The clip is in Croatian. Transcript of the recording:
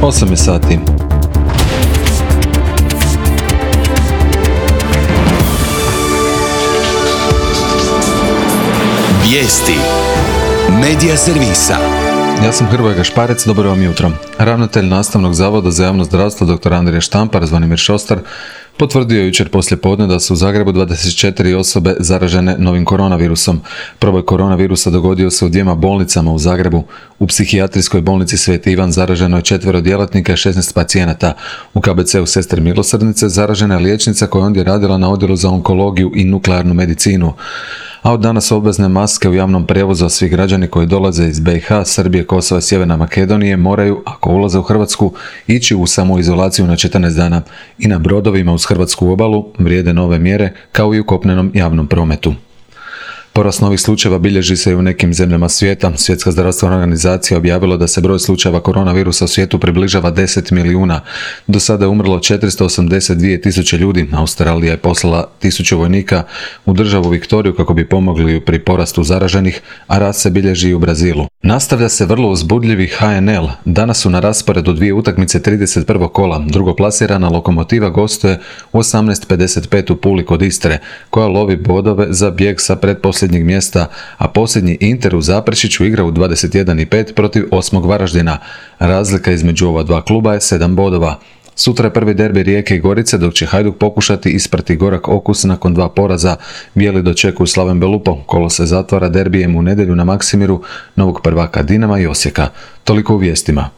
8 je sati. Vijesti Medija servisa. Ja sam Hrvoje Gašparec, dobro vam jutro. Ravnatelj Nastavnog zavoda za javno zdravstvo dr. Andrija Štampar, Zvonimir Šostar, potvrdio jučer poslijepodne da su u Zagrebu 24 osobe zaražene novim koronavirusom. Proboj koronavirusa dogodio se u 2 bolnicama u Zagrebu. U psihijatrijskoj bolnici Sveti Ivan zaraženo je 4 djelatnika i 16 pacijenata. U KBC-u Sestre Milosrdnice zaražena je liječnica koja je ondje radila na odjelu za onkologiju i nuklearnu medicinu. A od danas obvezne maske u javnom prijevozu, a svi građani koji dolaze iz BiH, Srbije, Kosova i Sjeverne Makedonije moraju, ako ulaze u Hrvatsku, ići u samoizolaciju na 14 dana. I na brodovima uz hrvatsku obalu vrijede nove mjere, kao i u kopnenom javnom prometu. Porast novih slučajeva bilježi se i u nekim zemljama svijeta. Svjetska zdravstvena organizacija objavila da se broj slučajeva koronavirusa u svijetu približava 10 milijuna. Do sada je umrlo 482 tisuće ljudi. Australija je poslala 1000 vojnika u državu Viktoriju kako bi pomogli pri porastu zaraženih, a rast se bilježi i u Brazilu. Nastavlja se vrlo uzbudljivi HNL. Danas su na rasporedu 2 utakmice 31. kola. Drugoplasirana Lokomotiva gostuje u 18:55 u Puli kod Istre, koja lovi bodove za bijeg sa pretposljednjeg mjesta, a posljednji Inter u Zaprešiću igra u 21:05 protiv 8. Varaždina. Razlika između ova dva kluba je 7 bodova. Sutra je prvi derbi Rijeke i Gorice, dok će Hajduk pokušati isprati gorak okus nakon 2 poraza. Bijeli dočekuju Slaven Belupo. Kolo se zatvara derbijem u nedjelju na Maksimiru, novog prvaka Dinama i Osijeka. Toliko u vijestima.